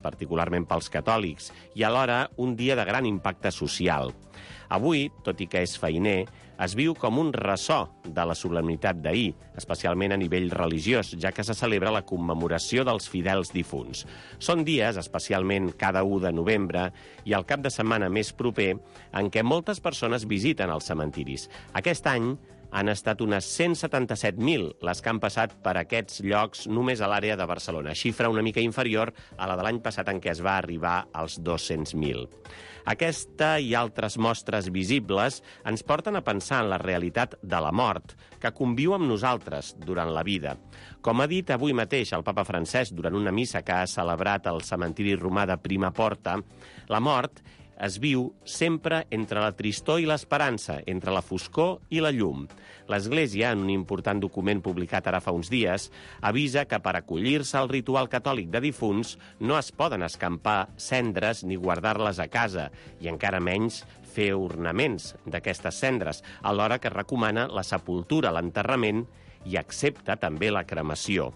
particularment pels catòlics, i alhora un dia de gran impacte social. Avui, tot i que és feiner, es viu com un ressò de la solemnitat d'ahir, especialment a nivell religiós, ja que se celebra la commemoració dels fidels difunts. Són dies, especialment cada 1 de novembre, i el cap de setmana més proper, en què moltes persones visiten els cementiris. Aquest any han estat unes 177.000 les que han passat per aquests llocs només a l'àrea de Barcelona, xifra una mica inferior a la de l'any passat en què es va arribar als 200.000. Aquesta i altres mostres visibles ens porten a pensar en la realitat de la mort, que conviu amb nosaltres durant la vida. Com ha dit avui mateix el papa Francesc durant una missa que ha celebrat al cementiri romà de Prima Porta, la mort es viu sempre entre la tristor i l'esperança, entre la foscor i la llum. L'Església, en un important document publicat ara fa uns dies, avisa que per acollir-se al ritual catòlic de difunts no es poden escampar cendres ni guardar-les a casa, i encara menys fer ornaments d'aquestes cendres, alhora que recomana la sepultura, l'enterrament, i accepta també la cremació.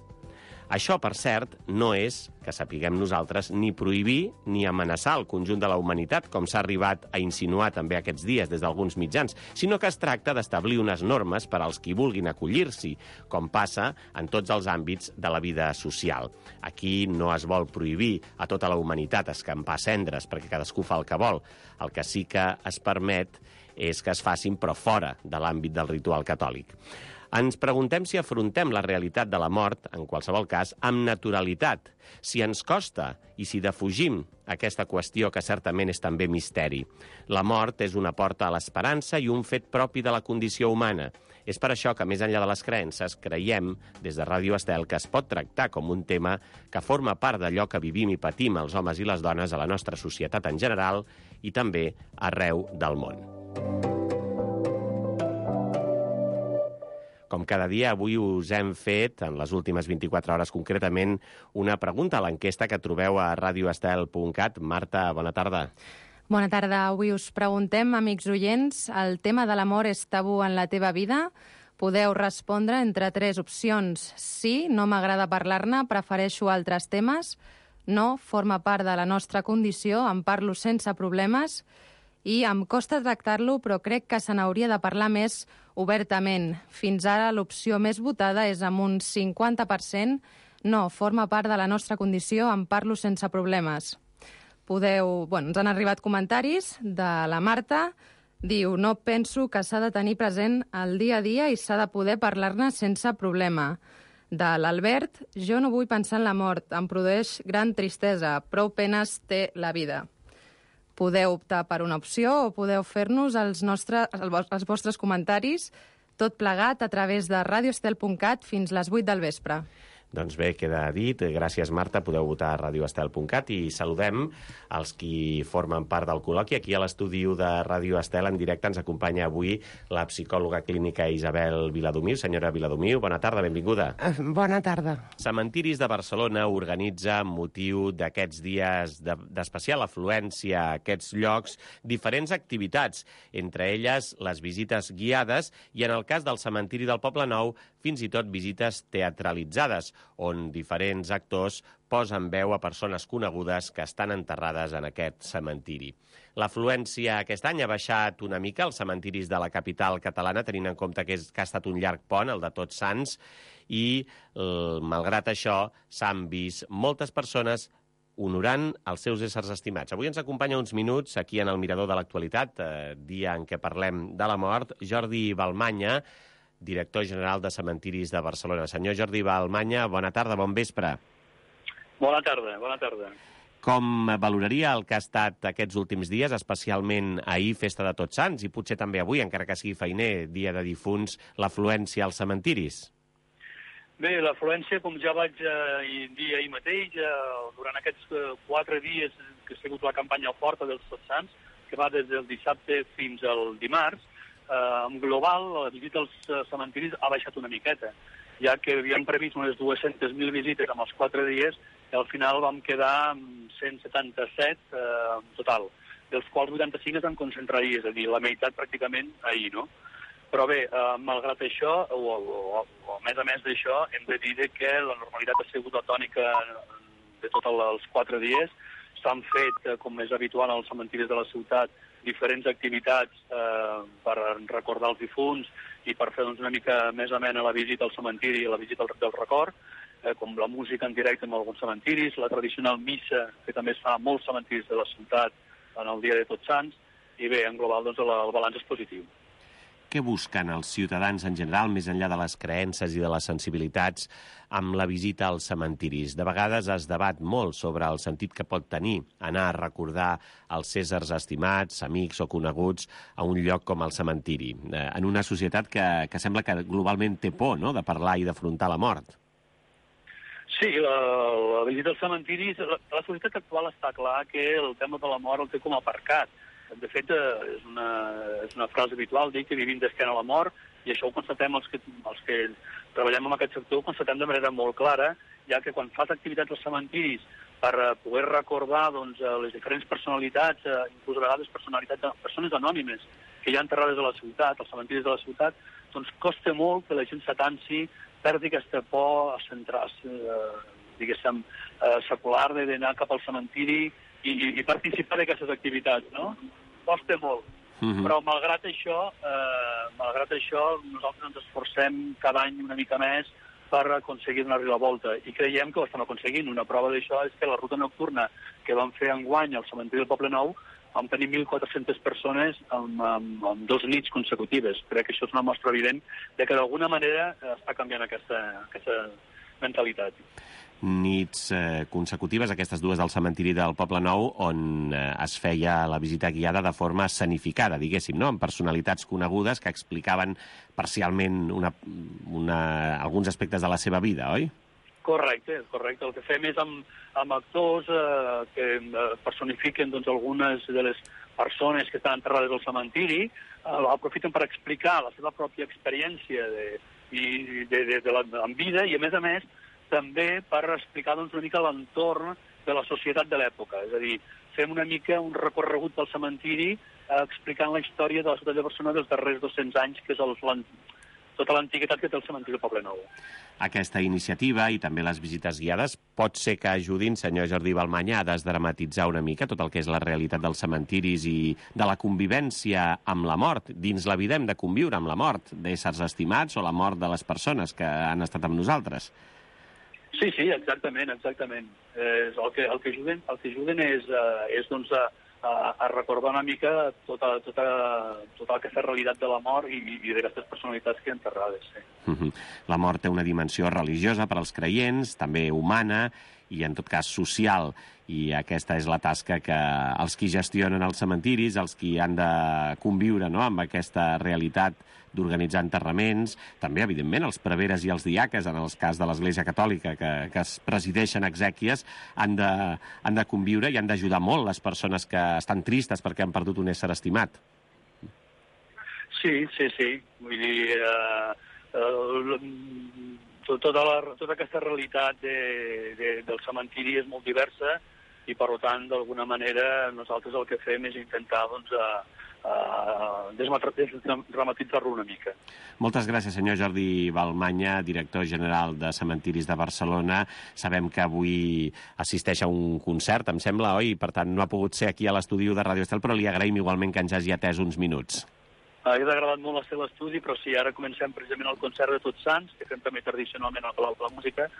Això, per cert, no és, que sapiguem nosaltres, ni prohibir ni amenaçar el conjunt de la humanitat, com s'ha arribat a insinuar també aquests dies des d'alguns mitjans, sinó que es tracta d'establir unes normes per als qui vulguin acollir-s'hi, com passa en tots els àmbits de la vida social. Aquí no es vol prohibir a tota la humanitat escampar cendres, perquè cadascú fa el que vol. El que sí que es permet és que es facin, però fora de l'àmbit del ritual catòlic. Ens preguntem si afrontem la realitat de la mort, en qualsevol cas, amb naturalitat, si ens costa i si defugim aquesta qüestió que certament és també misteri. La mort és una porta a l'esperança i un fet propi de la condició humana. És per això que, més enllà de les creences, creiem, des de Ràdio Estel, que es pot tractar com un tema que forma part d'allò que vivim i patim els homes i les dones a la nostra societat en general i també arreu del món. Com cada dia, avui us hem fet, en les últimes 24 hores concretament, una pregunta a l'enquesta que trobeu a radioestel.cat. Marta, bona tarda. Bona tarda. Avui us preguntem, amics oients, el tema de l'amor és tabú en la teva vida? Podeu respondre entre 3 opcions. Sí, no m'agrada parlar-ne, prefereixo altres temes. No, forma part de la nostra condició, en parlo sense problemes. I em costa tractar-lo, però crec que se n'hauria de parlar més obertament. Fins ara l'opció més votada és amb un 50%. No, forma part de la nostra condició, en parlo sense problemes. Ens han arribat comentaris de la Marta. Diu, no penso que s'ha de tenir present el dia a dia i s'ha de poder parlar-ne sense problema. De l'Albert, jo no vull pensar en la mort, em produeix gran tristesa, prou penes té la vida. Podeu optar per una opció o podeu fer-nos els vostres comentaris, tot plegat a través de radioestel.cat fins les 8 del vespre. Doncs bé, queda dit. Gràcies, Marta. Podeu votar a radioestel.cat i saludem els qui formen part del col·loqui. Aquí a l'estudi de Ràdio Estel, en directe, ens acompanya avui la psicòloga clínica Isabel Viladomiu. Senyora Viladomiu, bona tarda, benvinguda. Bona tarda. Cementiris de Barcelona organitza, amb motiu d'aquests dies d'especial afluència a aquests llocs, diferents activitats, entre elles les visites guiades i, en el cas del cementiri del Poble Nou, fins i tot visites teatralitzades, on diferents actors posen veu a persones conegudes que estan enterrades en aquest cementiri. L'afluència aquest any ha baixat una mica als cementiris de la capital catalana, tenint en compte que ha estat un llarg pont, el de Tots Sants, i, malgrat això, s'han vist moltes persones honorant els seus éssers estimats. Avui ens acompanya uns minuts aquí en el Mirador de l'Actualitat, dia en què parlem de la mort, Jordi Balmanya, director general de Cementiris de Barcelona. Senyor Jordi Balmanya, bona tarda, bon vespre. Bona tarda, bona tarda. Com valoraria el que ha estat aquests últims dies, especialment ahir, festa de Tots Sants, i potser també avui, encara que sigui feiner, dia de difunts, l'afluència als cementiris? Bé, l'afluència, com ja vaig dir ahir mateix, durant aquests 4 dies que ha sigut la campanya forta dels Tots Sants, que va des del dissabte fins al dimarts, en global, la visita als cementiris ha baixat una miqueta, ja que havíem previst unes 200.000 visites en els 4 dies i al final vam quedar amb 177 en total, dels quals 85 es van concentrar ahir, és a dir, la meitat pràcticament ahir, no? Però bé, malgrat això, o a més d'això, hem de dir que la normalitat ha sigut la tònica de tots els 4 dies. S'han fet, com és habitual als cementiris de la ciutat, diferents activitats per recordar els difunts i per fer una mica més amena la visita al cementiri i la visita del record, com la música en directe en alguns cementiris, la tradicional missa, que també es fa a molts cementiris de la ciutat en el dia de Tots Sants, i bé, en global doncs, el balanç és positiu. Què busquen els ciutadans en general, més enllà de les creences i de les sensibilitats, amb la visita als cementiris? De vegades es debat molt sobre el sentit que pot tenir anar a recordar els éssers estimats, amics o coneguts a un lloc com el cementiri, en una societat que sembla que globalment té por, no?, de parlar i d'afrontar la mort. Sí, la visita als cementiris, la societat actual està clar que el tema de la mort el té com aparcat. De fet, és una frase habitual, dir que vivim d'esquena a la mort, i això ho constatem els que treballem en aquest sector, ho constatem de manera molt clara, ja que quan fas activitats als cementiris per poder recordar doncs, les diferents personalitats, inclús a vegades persones anònimes que hi ha enterrades a la ciutat, als cementiris de la ciutat, doncs costa molt que la gent s'atansi, perdi aquesta por a centrar-se, diguéssim, secular d'anar cap al cementiri i participar d'aquestes activitats, no? Costa molt. Però malgrat això, nosaltres ens esforcem cada any una mica més per aconseguir donar-li la volta. I creiem que ho estem aconseguint. Una prova d'això és que la ruta nocturna que vam fer enguany al cementiri del Poble Nou vam tenir 1.400 persones en 2 nits consecutives. Crec que això és una mostra evident de que d'alguna manera està canviant aquesta mentalitat. Nits consecutives, aquestes 2 del cementiri del Poble Nou, on es feia la visita guiada de forma escenificada, diguéssim, no?, amb personalitats conegudes que explicaven parcialment alguns aspectes de la seva vida, oi? Correcte. El que fem és amb actors que personifiquen doncs, algunes de les persones que estan enterrades al cementiri, aprofiten per explicar la seva pròpia experiència en vida i, a més, també per explicar doncs, una mica l'entorn de la societat de l'època. És a dir, fem una mica un recorregut del cementiri explicant la història de la ciutat de Barcelona dels darrers 200 anys, que és tota l'antiguitat que té el cementiri del Poble Nou. Aquesta iniciativa i també les visites guiades pot ser que ajudin, senyor Jordi Balmanya, a desdramatitzar una mica tot el que és la realitat dels cementiris i de la convivència amb la mort. Dins la vida hem de conviure amb la mort d'éssers estimats o la mort de les persones que han estat amb nosaltres. Sí, exactament. El que ajuden és doncs, a recordar una mica tota aquesta realitat de la mort i d'aquestes personalitats que hi ha enterrades. Sí. La mort té una dimensió religiosa per als creients, també humana i, en tot cas, social. I aquesta és la tasca que els qui gestionen els cementiris, els qui han de conviure, no?, amb aquesta realitat d'organitzar enterraments, també, evidentment, els preveres i els diaques, en el cas de l'Església Catòlica, que es presideixen exèquies, han de conviure i han d'ajudar molt les persones que estan tristes perquè han perdut un ésser estimat. Sí. Vull dir, tota aquesta realitat del cementiri és molt diversa i, per tant, d'alguna manera, nosaltres el que fem és intentar desdramatitzar-lo una mica. Moltes gràcies, senyor Jordi Balmanya, director general de Cementiris de Barcelona. Sabem que avui assisteix a un concert, em sembla, oi? Per tant, no ha pogut ser aquí a l'estudi de Radio Estel, però li agraïm igualment que ens hagi atès uns minuts. Ha agradat molt el seu estudi, però sí, ara comencem precisament el concert de Tots Sants, que fem també tradicionalment al Palau de la Música,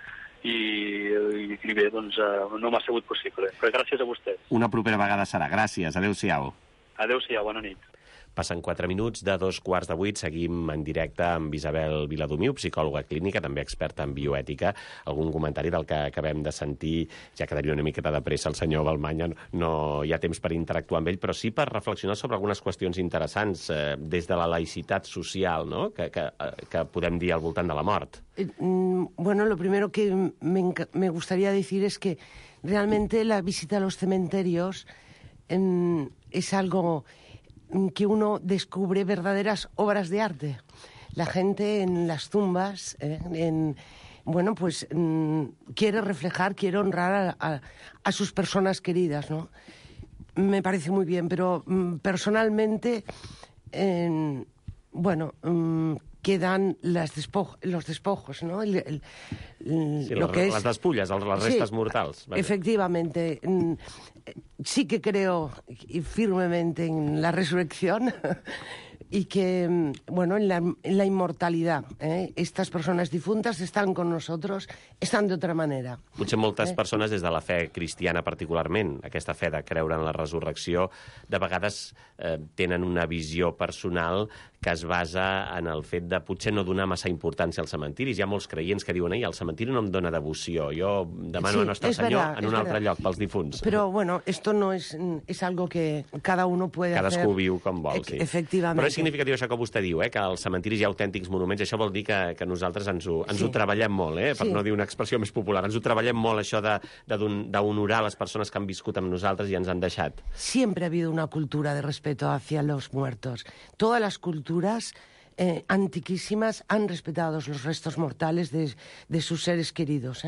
i bé, doncs no m'ha sigut possible. Però gràcies a vostè. Una propera vegada serà. Gràcies. Adéu-siau. Adéu-siau, bona nit. Passen 4 minuts de 7:15. Seguim en directe amb Isabel Viladomiu, psicòloga clínica, també experta en bioètica. Algun comentari del que acabem de sentir? Ja quedaria una miqueta de pressa el senyor Balmanya, no hi ha temps per interactuar amb ell, però sí per reflexionar sobre algunes qüestions interessants des de la laïcitat social, no?, que podem dir al voltant de la mort. Bueno, lo primero que me gustaría decir es que realmente la visita a los cementerios es algo que uno descubre verdaderas obras de arte. La gente en las tumbas, quiere reflejar, quiere honrar a sus personas queridas, ¿no? Me parece muy bien, pero personalmente, quedan los despojos, ¿no? Las despulles, las restes mortals. Vaya. Efectivamente. Sí que creo firmemente en la resurrección y que, bueno, en la inmortalidad. Estas persones difuntes estan con nosotros, estan d'altra manera. Potser moltes persones, des de la fe cristiana particularment, aquesta fe de creure en la resurrecció, de vegades tenen una visió personal que es basa en el fet de potser no donar massa importància als cementiris. Hi ha molts creients que diuen el cementiri no em dona devoció, jo demano a Nostre Senyor en un altre lloc pels difunts. Però, bueno, esto no es algo que cada uno puede hacer. Cadascú viu com vol, sí. Efectivament. Però és significatiu això que vostè diu, que als cementiris hi ha autèntics monuments. Això vol dir que nosaltres ens ho treballem molt, per no dir una expressió més popular. Ens ho treballem molt, això d'honorar les persones que han viscut amb nosaltres i ens han deixat. Siempre ha habido una cultura de respeto hacia los muertos. Todas las culturas antiquísimas han respetado los restos mortales de sus seres queridos.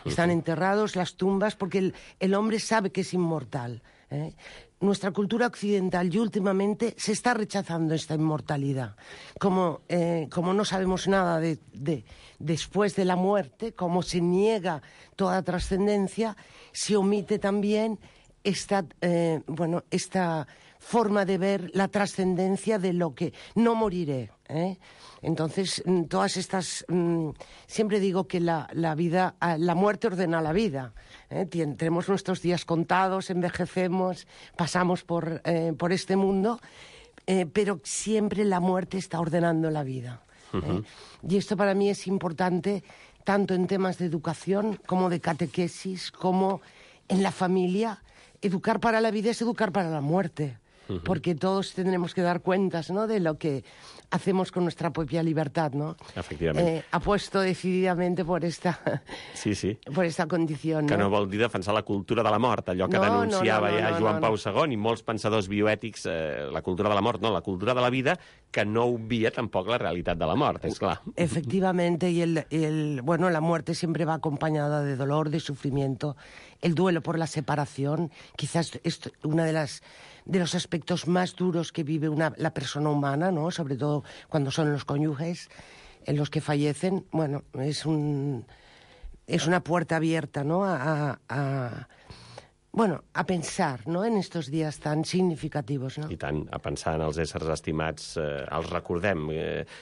Están enterrados las tumbas porque el hombre sabe que es inmortal. Nuestra cultura occidental y últimamente se está rechazando esta inmortalidad. Como no sabemos nada después de la muerte, como se niega toda trascendencia, se omite también esta forma de ver la trascendencia de lo que no moriré. Entonces, todas estas... siempre digo que la muerte ordena la vida. Tenemos nuestros días contados, envejecemos, pasamos por este mundo, pero siempre la muerte está ordenando la vida. Y esto para mí es importante tanto en temas de educación como de catequesis, como en la familia. Educar para la vida es educar para la muerte. Porque todos tendremos que dar cuentas, ¿no?, de lo que hacemos con nuestra propia libertad, ¿no? Efectivament. Apuesto decididamente por esta condició. Que no vol dir defensar la cultura de la mort, allò que denunciava Joan Pau II i molts pensadors bioètics, la cultura de la mort, no, la cultura de la vida, que no obvia tampoc la realitat de la mort, és clar. Efectivamente, y la muerte siempre va acompañada de dolor, de sufrimiento, el duelo por la separación, quizás es una de los aspectos más duros que vive la persona humana, ¿no? Sobre todo cuando son los cónyuges en los que fallecen. Bueno, es una puerta abierta, ¿no?, a pensar, no?, en estos días tan significativos, no? I tant, a pensar en els éssers estimats, els recordem,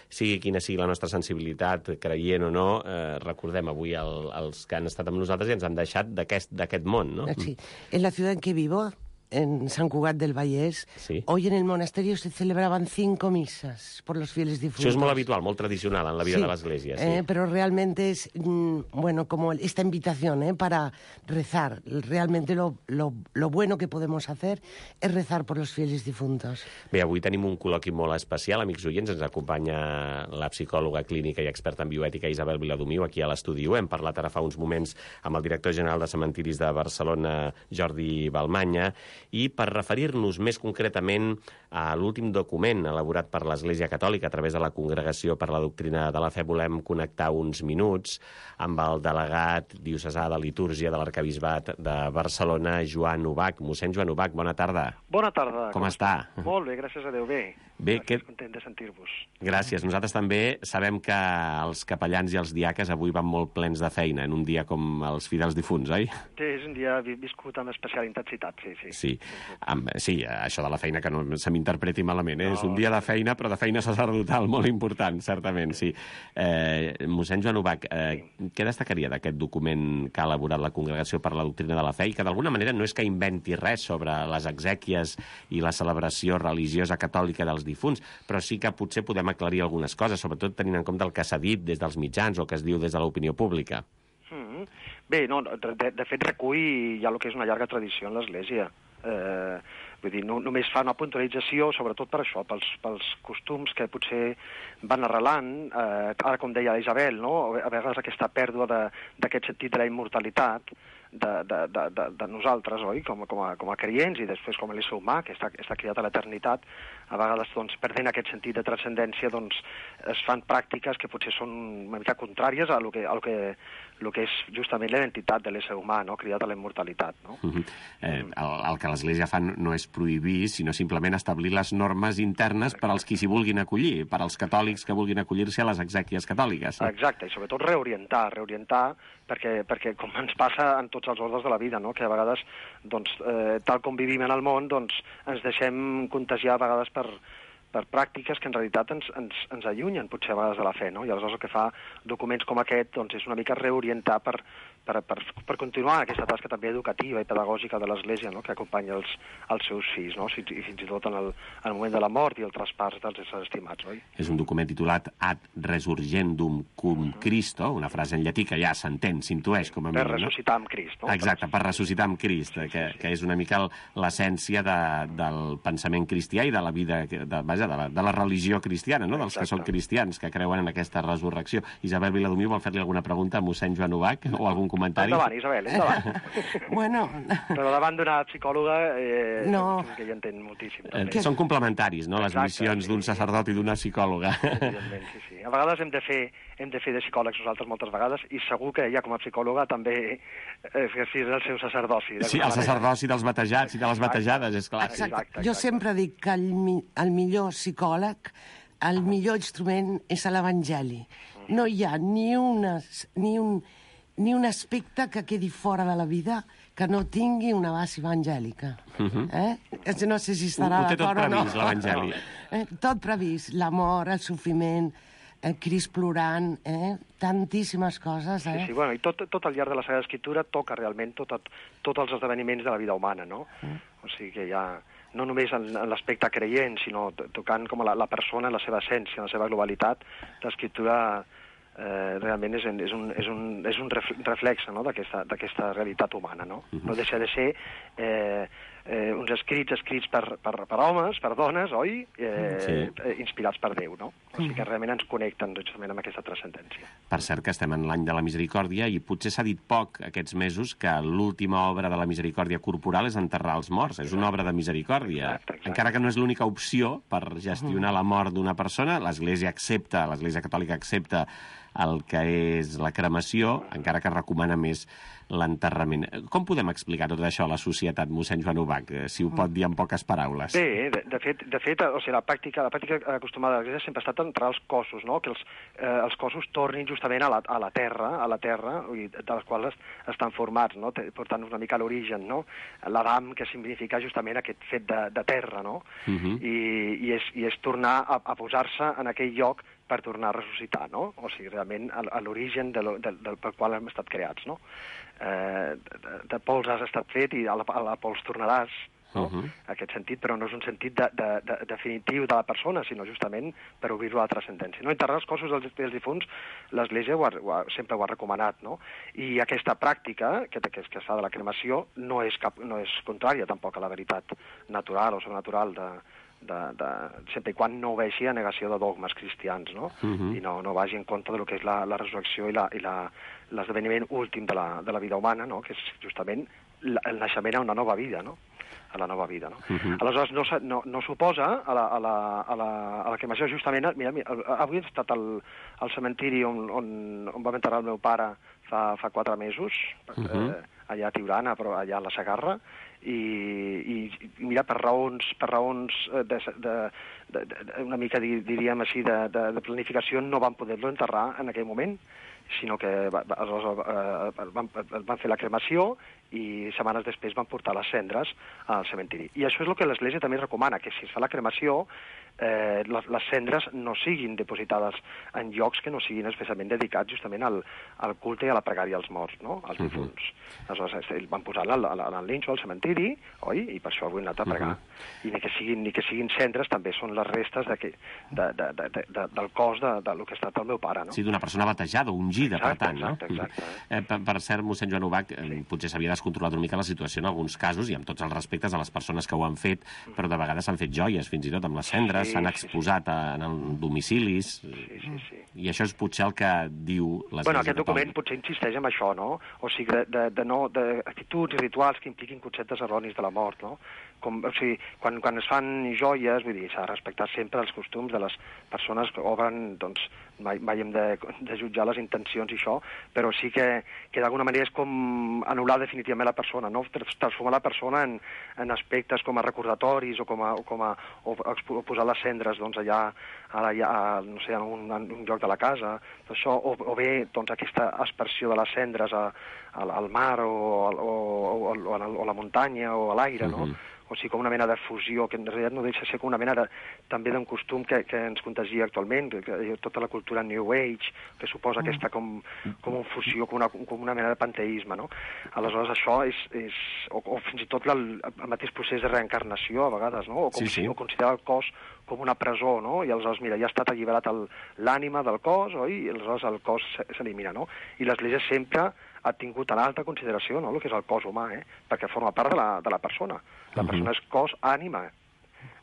sigui quina sigui la nostra sensibilitat, creient o no, recordem avui els que han estat amb nosaltres i ens han deixat d'aquest món, no? Sí, en la ciutat en què vivo, en San Cugat del Vallès, hoy en el monasterio se celebraban 5 misas por los fieles difuntos. Això és molt habitual, molt tradicional en la vida de l'Església. Pero realmente es, como esta invitación para rezar. Realmente lo bueno que podemos hacer es rezar por los fieles difuntos. Bé, avui tenim un col·loqui molt especial, amics oients. Ens acompanya la psicòloga clínica i experta en bioètica Isabel Viladomiu aquí a l'estudi. Hem parlat ara fa uns moments amb el director general de Cementiris de Barcelona, Jordi Balmanya, i per referir-nos més concretament a l'últim document elaborat per l'Església Catòlica a través de la Congregació per la Doctrina de la Fe, volem connectar uns minuts amb el delegat diocesà de litúrgia de l'Arquebisbat de Barcelona, Joan Ubach. Mossèn Joan Ubach, bona tarda. Bona tarda. Com està? Molt bé, gràcies a Déu, bé. Content de sentir-vos. Gràcies. Nosaltres també sabem que els capellans i els diaques avui van molt plens de feina en un dia com els fidels difunts, oi? Sí, és un dia viscut amb especial intensitat, sí. Sí, això de la feina que no se m'interpreti malament, és un dia de feina, però de feina sacerdotal molt important, certament, sí. Mossèn Joan Ubach, què destacaria d'aquest document que ha elaborat la Congregació per la Doctrina de la Fe i que d'alguna manera no és que inventi res sobre les exèquies i la celebració religiosa catòlica dels difunts, però sí que potser podem aclarir algunes coses, sobretot tenint en compte el que s'ha dit des dels mitjans o que es diu des de l'opinió pública. Bé, no, de fet recull ja el que és una llarga tradició en l'Església. Vull dir, només fa una puntualització, sobretot per això, pels costums que potser van arrelant, ara com deia Isabel, no? A vegades aquesta pèrdua d'aquest sentit de la immortalitat de nosaltres, oi? Com a creients i després com a l'ésser humà, que està criat a l'eternitat, a vegades, perdent aquest sentit de transcendència, es fan pràctiques que potser són una mica contràries a lo que el que és justament la identitat de l'ésser humà, no? Cridat a la immortalitat, no? El que l'Església fa no és prohibir, sinó simplement establir les normes internes per als qui s'hi vulguin acollir, per als catòlics que vulguin acollir-se a les exèquies catòliques. Exacte, i sobretot reorientar, perquè com ens passa en tots els ordres de la vida, no? Que a vegades, doncs, tal com vivim en el món, doncs, ens deixem contagiar a vegades per pràctiques que en realitat ens allunyen potser a vegades de la fe, no? I aleshores el que fa documents com aquest doncs, és una mica reorientar per continuar aquesta tasca també educativa i pedagògica de l'Església, no? Que acompanya els seus fills, no? I fins i tot en el moment de la mort i el traspàs dels éssers estimats, oi? És un document titulat Ad Resurgendum cum Christo, una frase en llatí que ja s'entén, s'intueix com a mínim. Per ressuscitar amb Crist, no? Exacte, per ressuscitar amb Crist, que és una mica l'essència del pensament cristià i de la vida, de la religió cristiana, no? Dels que són cristians, que creuen en aquesta resurrecció. Isabel Viladomiu vol fer-li alguna pregunta a mossèn Joan Ubach o algun comentari? Endavant, Isabel, endavant. Bueno... Però davant d'una psicòloga no. Que hi entén moltíssim. Són complementaris, no?, les missions d'un sacerdot i d'una psicòloga. Evidentment, sí. A vegades hem de fer de psicòlegs nosaltres moltes vegades, i segur que ella com a psicòloga també exercís el seu sacerdoci. Sí, el sacerdoci dels batejats i de les batejades, és clar. Exacte. Jo sempre dic que el millor psicòleg, el millor instrument és l'Evangeli. No hi ha ni un aspecte que quedi fora de la vida que no tingui una base evangèlica. No sé si estarà d'acord o no. Ho té tot previst, l'Evangeli. Tot previst, l'amor, el sofriment, Crist plorant, tantíssimes coses. Sí, bueno, i tot al llarg de la Sagrada Escritura toca realment tots els esdeveniments de la vida humana, no? O sigui que ja... no només en l'aspecte creient, sinó tocant com la persona, la seva essència, la seva globalitat, l'Escriptura realment és un reflex, no?, d'aquesta realitat humana, no? No deixa de ser uns escrits per homes, per dones, oi? Inspirats per Déu, no? O sigui que realment ens connecten justament amb aquesta transcendència. Per cert que estem en l'any de la misericòrdia i potser s'ha dit poc aquests mesos que l'última obra de la misericòrdia corporal és enterrar els morts. És una obra de misericòrdia. Exacte. Encara que no és l'única opció per gestionar la mort d'una persona, l'Església Catòlica accepta el que és la cremació, encara que recomana més l'enterrament. Com podem explicar tot això a la societat, mossèn Joan Ubach, si ho pot dir en poques paraules? Bé, de fet, o sigui, la pràctica acostumada de l'Església sempre ha estat enterrar els cossos, no? Que els cossos tornin justament a la terra, de les quals estan formats, no? Portant una mica a l'origen, no? L'Adam, que significa justament aquest fet de terra, no? I és tornar a posar-se en aquell lloc per tornar a ressuscitar, no? O sigui, realment, a l'origen pel qual hem estat creats, no? De pols has estat fet i a la pols tornaràs, no? Aquest sentit, però no és un sentit definitiu de la persona, sinó justament per obrir-lo a la transcendència. No? Enterrar els cossos dels difunts, l'Església sempre ho ha recomanat, no? I aquesta pràctica, que es fa de la cremació, no és contrària tampoc a la veritat natural o sobrenatural sempre i quan no vegi a negació de dogmes cristians, no? I no vagi en compte del que és la resurrecció i l'esdeveniment últim de la vida humana, no? Que és justament el naixement a una nova vida, no? A la nova vida, no? Aleshores, no s'oposa a la cremació, justament... Mira, avui he estat al cementiri on vam enterrar el meu pare fa 4 mesos, allà a Tiurana, però allà a la Segarra, i mira, per raons una mica, diríem així, de planificació, no van poder-lo enterrar en aquell moment, sinó que van fer la cremació i setmanes després van portar les cendres al cementiri. I això és el que l'Església també recomana, que si es fa la cremació, les cendres no siguin depositades en llocs que no siguin especialment dedicats justament al culte i a la pregària als morts, no?, als difunts. Aleshores, van posar-la al linxo, al cementiri, oi? I per això avui hem anat a pregar. I ni que siguin cendres, també són les restes del cos del que ha estat el meu pare, no? Sí, d'una persona batejada, ungida, per tant, no? Exacte. Per cert, mossèn Joan Ubach, potser s'havia descontrolat una mica la situació en alguns casos, i amb tots els respectes a les persones que ho han fet, però de vegades s'han fet joies, fins i tot amb les cendres, s'han exposat en domicilis, i això és potser el que diu l'Església Catòlica. Aquest document potser insisteix en això, no? O sigui, d'actituds i rituals que impliquin conceptes erronis de la mort, no? O sigui, quan es fan joies, vull dir, s'ha de respectar sempre els costums de les persones que obren, doncs, mai hem de jutjar les intencions i això, però sí que d'alguna manera és com anul·lar definitivament la persona, no? Transformar la persona en aspectes com a recordatoris o posar les cendres doncs, allà no sé, en un lloc de la casa, això, o bé doncs, aquesta aspersió de les cendres al mar o a la muntanya o a l'aire, no? O sigui, com una mena de fusió, que en realitat no deixa de ser com una mena també d'un costum que ens contagia actualment, tota la cultura New Age, que suposa aquesta com una fusió, com una mena de panteisme, no? Aleshores, això o fins i tot el mateix procés de reencarnació, a vegades, no? O considerar el cos com una presó, no? I aleshores, mira, ja ha estat alliberat l'ànima del cos, oi? I aleshores el cos s'elimina, no? I l'Església sempre ha tingut en alta consideració, no?, el que és el cos humà, perquè forma part de la persona. La persona és cos, ànima.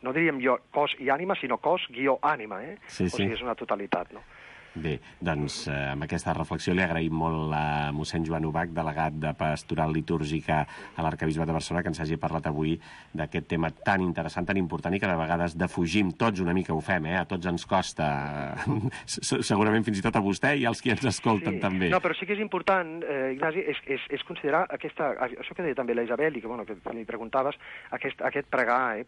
No diríem jo cos i ànima, sinó cos-ànima, O sigui, és una totalitat, no? Bé, doncs amb aquesta reflexió li agraïm molt a mossèn Joan Ubach, delegat de Pastoral Litúrgica a l'Arquebisbat de Barcelona, que ens hagi parlat avui d'aquest tema tan interessant, tan important i que de vegades defugim, tots una mica ho fem, a tots ens costa, segurament fins i tot a vostè i als qui ens escolten també. No, però sí que és important, Ignasi, és considerar això que deia també la Isabel i que li preguntaves, aquest pregar,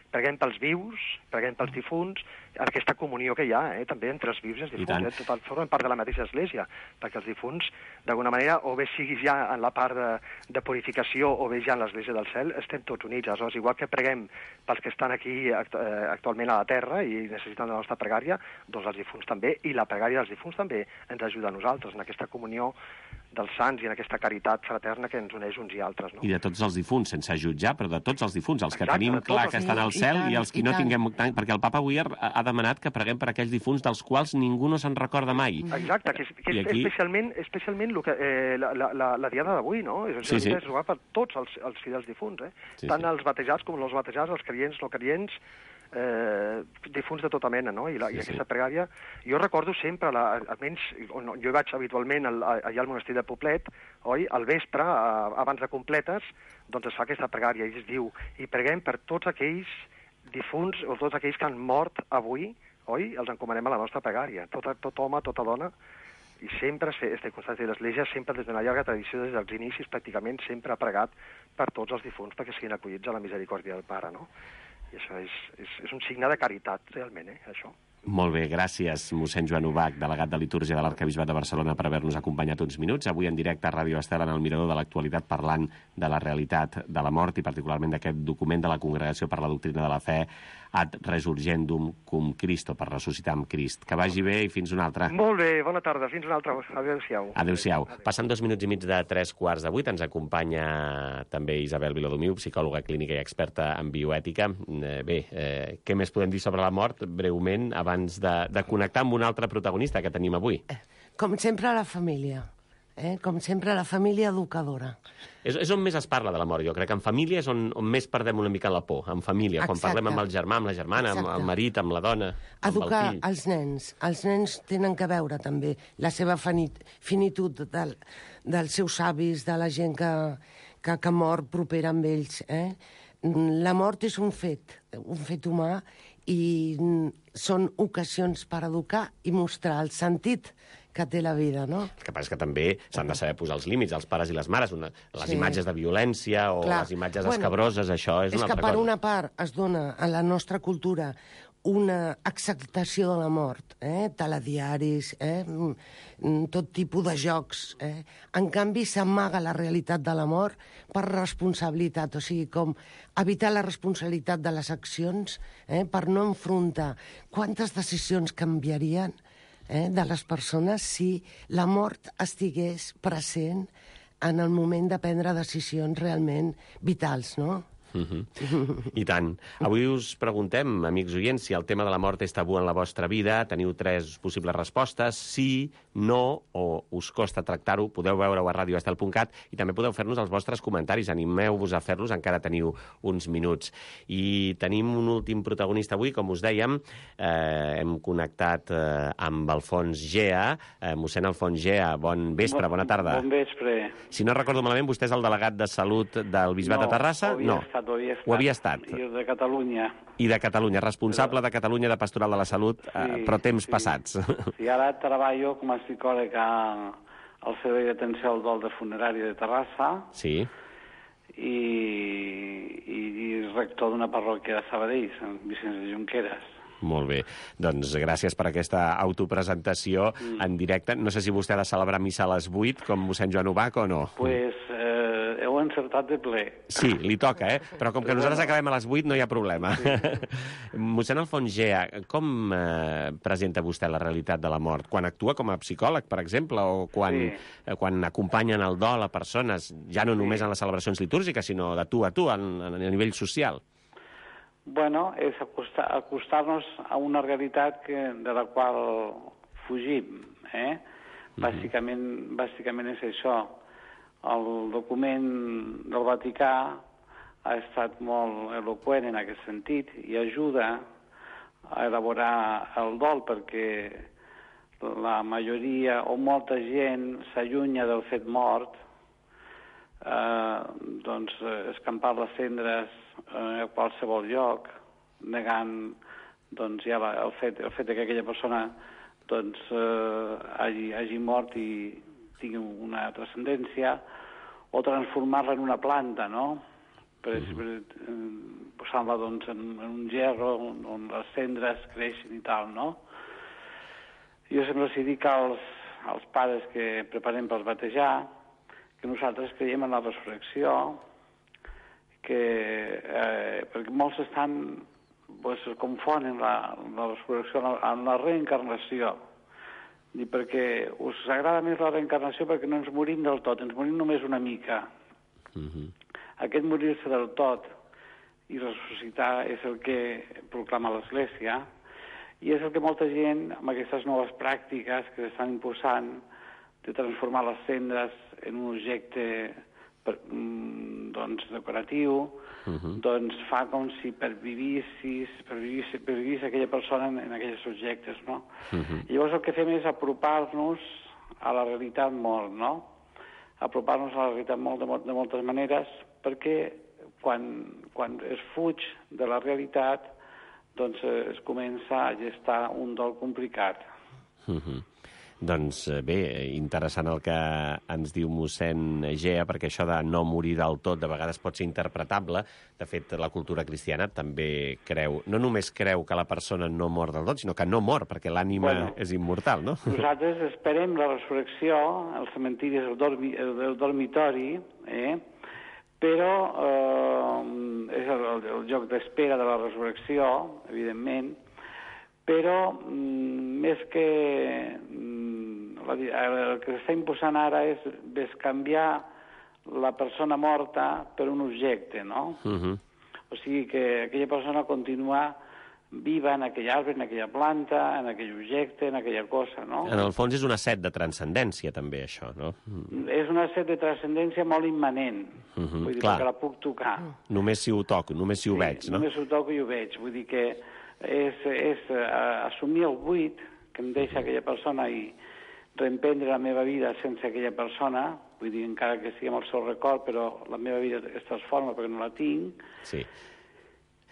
preguem pels vius, preguem pels difunts, aquesta comunió que hi ha, també entre els vius i els difunts, formen part de la mateixa Església, perquè els difunts, d'alguna manera, o bé siguis ja en la part de purificació o bé ja en l'Església del cel, estem tots units. Aleshores, igual que preguem pels que estan aquí actualment a la Terra i necessiten la nostra pregària, doncs els difunts també, i la pregària dels difunts també ens ajuda a nosaltres en aquesta comunió dels sants i en aquesta caritat fraterna que ens uneix uns i altres. No? I de tots els difunts, sense jutjar, però de tots els difunts, els que tenim clar que estan al cel i els que no tinguem... Perquè el papa avui ha demanat que preguem per aquells difunts dels quals ningú no se'n recorda mai. Exacte, que és aquí... especialment la diada d'avui, no? És per tots els fidels difunts, tant els batejats com els batejats, els creients, no creients, difunts de tota mena, no? I aquesta pregària, jo recordo sempre, almenys jo vaig habitualment allà al monestir de Poblet, oi? Al vespre, abans de completes, doncs es fa aquesta pregària i es diu, i preguem per tots aquells difunts o tots aquells que han mort avui, oi? Els encomanem a la nostra pregària, tot home, tota dona, i sempre este constància de l'Església, sempre des d'una llarga tradició, des dels inicis, pràcticament sempre ha pregat per tots els difunts perquè siguin acollits a la misericòrdia del Pare, no? I això és un signe de caritat, realment, això. Molt bé, gràcies, mossèn Joan Ubach, delegat de Litúrgia de l'Arquebisbat de Barcelona, per haver-nos acompanyat uns minuts. Avui en directe a Ràdio Estel, en el Mirador de l'Actualitat, parlant de la realitat de la mort i particularment d'aquest document de la Congregació per la Doctrina de la Fe, Ad Resurgendum cum Christo, per ressuscitar amb Crist. Que vagi bé i fins una altra. Molt bé, bona tarda, fins una altra. Adéu-siau. Adéu-siau. Passant 2 minuts i mig de 3:15, ens acompanya també Isabel Viladomiu, psicòloga clínica i experta en bioètica. Bé, què més podem dir sobre la mort, breument, abans de connectar amb un altre protagonista que tenim avui? Com sempre, la família. Com sempre, la família educadora. És on més es parla de la mort, jo crec que en família és on més perdem una mica la por, en família, quan parlem amb el germà, amb la germana, amb el marit, amb la dona, educar amb el fill. Els nens tenen que veure també la seva finitud dels seus avis, de la gent que mor propera amb ells. La mort és un fet humà, i són ocasions per educar i mostrar el sentit que té la vida, no? El que passa és que també s'han de saber posar els límits, els pares i les mares. Les imatges de violència o les imatges escabroses, això és una altra cosa. És que per una part es dona a la nostra cultura una acceptació de la mort, telediaris, tot tipus de jocs. En canvi, s'amaga la realitat de la mort per responsabilitat, o sigui, com evitar la responsabilitat de les accions per no enfrontar quantes decisions canviarien de les persones si la mort estigués present en el moment de prendre decisions realment vitals, no? I tant. Avui us preguntem, amics oients, si el tema de la mort és tabú en la vostra vida. Teniu 3 possibles respostes: sí, no, o us costa tractar-ho. Podeu veure-ho a radioestel.cat i també podeu fer-nos els vostres comentaris. Animeu-vos a fer-los, encara teniu uns minuts. I tenim un últim protagonista avui, com us dèiem. Hem connectat amb Alfons Gea. Mossèn Alfons Gea, bon vespre, bona tarda. Bon vespre. Si no recordo malament, vostè és el delegat de Salut del Bisbat de Terrassa? No, estat, ho havia estat. Ho havia estat. I de Catalunya. I de Catalunya, responsable de Catalunya de Pastoral de la Salut, però temps passats. Sí, ara treballo com a psicòleg al Servei d'Atenció al Dol de Funerària de Terrassa. Sí. I rector d'una parròquia de Sabadell, Sant Vicenç de Junqueras. Molt bé. Doncs gràcies per aquesta autopresentació en directe. No sé si vostè ha de celebrar missa a les 8, com mossèn Joan Ubach, o no? Pues heu encertat de ple. Sí, li toca, però com que nosaltres acabem a les 8 no hi ha problema. Sí. Mossèn Alfons Gea, com presenta vostè la realitat de la mort? Quan actua com a psicòleg, per exemple, o quan acompanyen el dol a persones, ja no només en les celebracions litúrgiques, sinó de tu a tu, a nivell social? Bueno, és acostar-nos a una realitat de la qual fugim, Bàsicament és això. El document del Vaticà ha estat molt eloqüent en aquest sentit i ajuda a elaborar el dol perquè la majoria o molta gent s'allunya del fet mort, doncs escampar les cendres a qualsevol lloc, negant doncs, ja el fet que aquella persona doncs, hagi mort i tingui una transcendència, o transformar-la en una planta, no? Per exemple, posant-la doncs, en un gerro on les cendres creixen i tal, no? Jo sempre els dic als pares que preparem per batejar que nosaltres creiem en la resurrecció, perquè molts es confonen la resurrecció amb la reencarnació. I perquè us agrada més la reencarnació perquè no ens morim del tot, ens morim només una mica. Aquest morir-se del tot i ressuscitar és el que proclama l'Església i és el que molta gent, amb aquestes noves pràctiques que s'estan imposant, de transformar les cendres en un objecte decoratiu, doncs fa com si pervivís aquella persona en aquells objectes, no? Llavors el que fem és apropar-nos a la realitat molt, no? Apropar-nos a la realitat molt de moltes maneres, perquè quan es fuig de la realitat, doncs es comença a gestar un dol complicat. Doncs bé, interessant el que ens diu mossèn Gea, perquè això de no morir del tot de vegades pot ser interpretable. De fet, la cultura cristiana també creu, no només creu que la persona no mor del tot, sinó que no mor, perquè l'ànima és immortal, no? Nosaltres esperem la resurrecció, el cementiri és el dormitori, però és el lloc d'espera de la resurrecció, evidentment, però més que el que s'està imposant ara és bescanviar la persona morta per un objecte, no? O sigui que aquella persona continua viva en aquell arbre, en aquella planta, en aquell objecte, en aquella cosa, no? En el fons és una set de transcendència, també, això, no? És una set de transcendència molt immanent, vull dir, perquè la puc tocar. Només si ho toco, només si ho veig, no? Només ho toco i ho veig, vull dir que és assumir el buit que em deixa aquella persona i reemprendre la meva vida sense aquella persona, vull dir, encara que sigui amb el seu record, però la meva vida es transforma perquè no la tinc. Sí.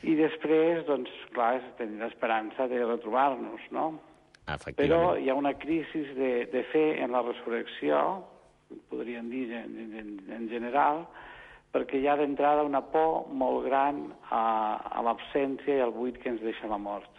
I després, doncs, clar, és tenir l'esperança de retrobar-nos, no? Efectivament. Però hi ha una crisi de fe en la resurrecció, podríem dir en general, perquè hi ha d'entrada una por molt gran a l'absència i al buit que ens deixa la mort.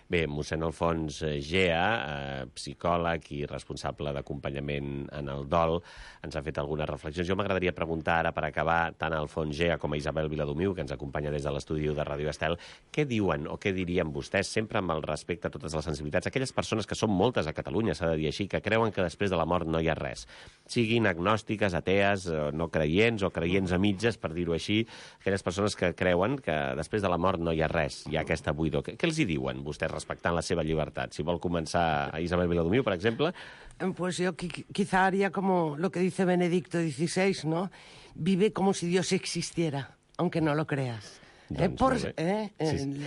Bé, mossèn Alfons Gea, psicòleg i responsable d'acompanyament en el dol, ens ha fet algunes reflexions. Jo m'agradaria preguntar ara, per acabar, tant a Alfons Gea com a Isabel Viladomiu, que ens acompanya des de l'estudi de Ràdio Estel, què diuen o què dirien vostès, sempre amb el respecte a totes les sensibilitats, aquelles persones que són moltes a Catalunya, s'ha de dir així, que creuen que després de la mort no hi ha res, siguin agnòstiques, atees, no creients o creients a mitges, per dir-ho així, aquelles persones que creuen que després de la mort no hi ha res, hi ha aquesta buidor. Què els hi diuen vostès respectant la seva llibertat? Si vol començar a Isabel Viladomiu, per exemple. Pues yo quizá haría como lo que dice Benedicto XVI, ¿no? Vive como si Dios existiera, aunque no lo creas.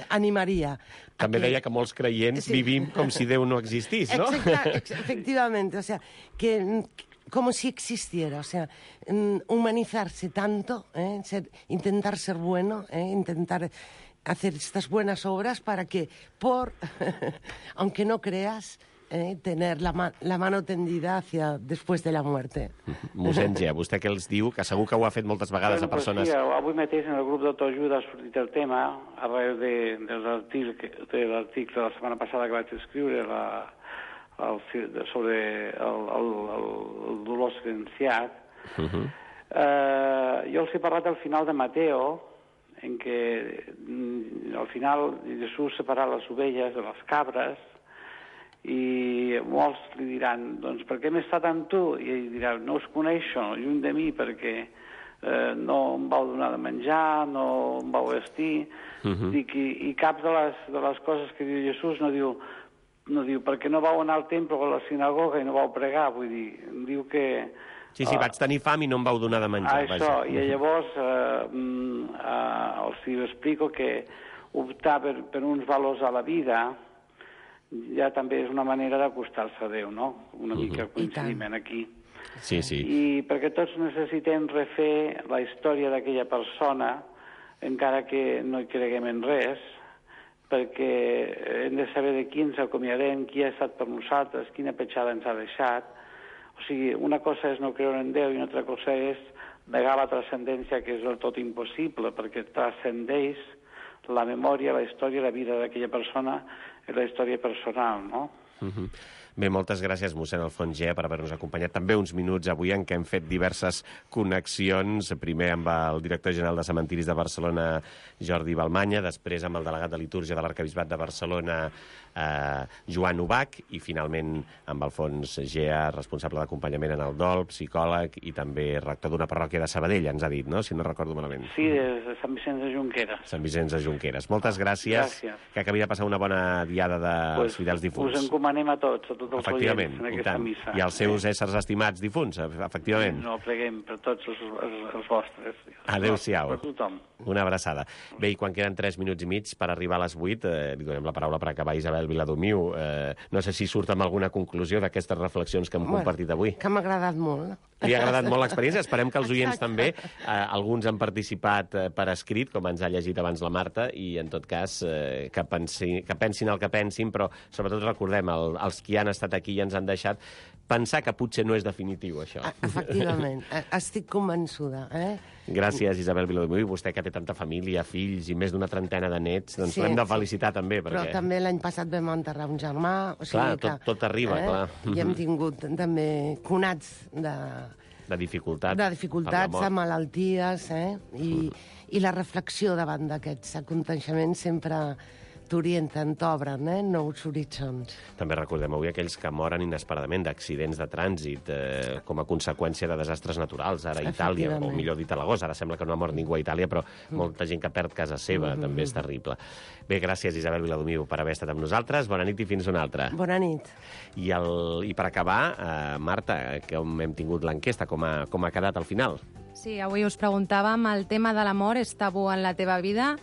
Animaria. També deia que molts creients vivim com si Déu no existís, no? Efectivamente, o sea, como si existiera, o sea, humanizarse tanto, intentar ser bueno, intentar hacer estas buenas obras para que, aunque no creas, tener la mano tendida hacia después de la muerte. Mossèn Gea, vostè què els diu? Que segur que ho ha fet moltes vegades a persones... Sí, avui mateix en el grup d'autoajuda ha sortit el tema, arreu de l'article de la setmana passada que vaig escriure sobre el dolor silenciat. Jo els he parlat al final de Mateo, en què al final Jesús separà les ovelles de les cabres, i molts li diran, doncs per què m'he estat amb tu? I ell dirà, no us coneixo, lluny de mi, perquè no em vau donar de menjar, no em vau vestir. Dic, i cap de les coses que diu Jesús no diu perquè no vau anar al temple o a la sinagoga i no vau pregar, vull dir, diu que... Sí, vaig tenir fam i no em vau donar de menjar. Això, i llavors els explico que optar per uns valors a la vida ja també és una manera d'acostar-se a Déu, no? Una mica coincidiment aquí. Sí. I perquè tots necessitem refer la història d'aquella persona, encara que no hi creguem en res, perquè hem de saber de qui ens acomiadem, qui ha estat per nosaltres, quina petjada ens ha deixat. O sigui, una cosa és no creure en Déu i una altra cosa és negar la transcendència, que és del tot impossible, perquè transcendeix la memòria, la història, la vida d'aquella persona i la història personal, no? Bé, moltes gràcies, mossèn Alfons Gea, per haver-nos acompanyat també uns minuts avui en què hem fet diverses connexions, primer amb el director general de Cementiris de Barcelona, Jordi Balmanya, després amb el delegat de litúrgia de l'Arquebisbat de Barcelona, Joan Ubach, i finalment amb Alfons Gea, responsable d'acompanyament en el dol, psicòleg i també rector d'una parròquia de Sabadell, ens ha dit, no?, si no recordo malament. Sí, de Sant Vicenç de Junqueras. Sant Vicenç de Junqueras. Moltes gràcies. Que acabi de passar una bona diada dels fidels difunts. Us encomanem a tots els efectivament, oients en aquesta missa. I els seus éssers estimats difunts, efectivament. No, pleguem per tots els vostres. Adéu-siau. Per tothom. Una abraçada. Bé, i quan queden 3 minuts i mig per arribar a les 8, li donem la paraula per acabar a Isabel Viladomiu. No sé si surt amb alguna conclusió d'aquestes reflexions que hem compartit avui. Que m'ha agradat molt. Li ha agradat molt l'experiència. Esperem que els oients també. Alguns han participat per escrit, com ens ha llegit abans la Marta, i en tot cas que pensin el que pensin, però sobretot recordem, els qui han estat aquí i ens han deixat, pensar que potser no és definitiu, això. Efectivament. Estic convençuda. Gràcies, Isabel Viladomiu. I vostè, que té tanta família, fills i més d'una trentena de nets, doncs l'hem de felicitar també. Però també l'any passat vam enterrar un germà. Clar, tot arriba, clar. I hem tingut també conats de dificultats. De dificultats, de malalties, i la reflexió davant d'aquests aconteixements sempre t'orienten, t'obren, nous horitzons. També recordem avui aquells que moren inesperadament d'accidents de trànsit com a conseqüència de desastres naturals, ara a Itàlia, o millor dit a l'agost. Ara sembla que no ha mort ningú a Itàlia, però molta gent que perd casa seva, també és terrible. Bé, gràcies, Isabel Viladomiu, per haver estat amb nosaltres. Bona nit i fins una altra. Bona nit. I per acabar, Marta, com hem tingut l'enquesta, com ha quedat al final? Sí, avui us preguntàvem, el tema de l'amor és tabú en la teva vida?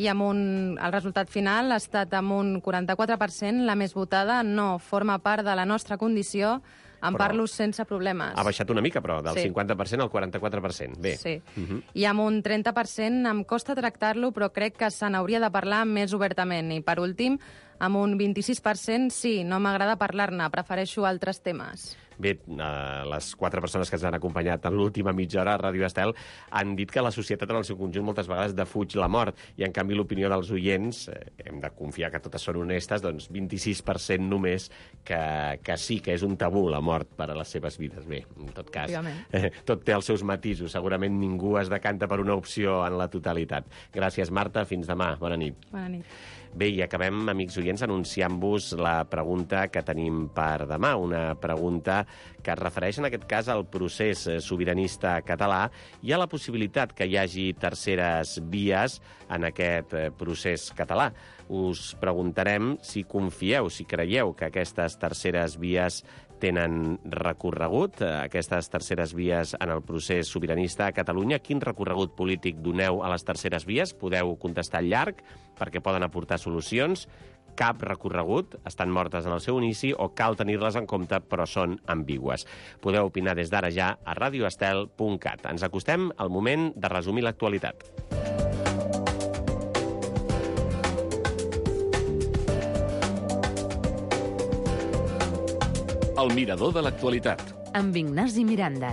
I el resultat final ha estat amb un 44%, la més votada, no forma part de la nostra condició, parlo sense problemes. Ha baixat una mica, però, del 50% al 44%. Bé. Sí. I amb un 30% em costa tractar-lo, però crec que se n'hauria de parlar més obertament. I, per últim, amb un 26%, sí, no m'agrada parlar-ne, prefereixo altres temes. Bé, les 4 persones que ens han acompanyat en l'última mitja hora a Ràdio Estel han dit que la societat en el seu conjunt moltes vegades defuig la mort, i en canvi l'opinió dels oients, hem de confiar que totes són honestes, doncs 26% només que sí, que és un tabú la mort per a les seves vides. Bé, en tot cas, tot té els seus matisos. Segurament ningú es decanta per una opció en la totalitat. Gràcies, Marta. Fins demà. Bona nit. Bona nit. Bé, i acabem, amics oients, anunciant-vos la pregunta que tenim per demà. Una pregunta que es refereix, en aquest cas, al procés sobiranista català i a la possibilitat que hi hagi terceres vies en aquest procés català. Us preguntarem si confieu, si creieu que aquestes terceres vies tenen recorregut, aquestes terceres vies en el procés sobiranista a Catalunya. Quin recorregut polític doneu a les terceres vies? Podeu contestar llarg, perquè poden aportar solucions. cap recorregut, estan mortes en el seu inici o cal tenir-les en compte però són ambigües. Podeu opinar des d'ara ja a radioestel.cat. Ens acostem al moment de resumir l'actualitat. El mirador de l'actualitat. Amb Ignasi Miranda.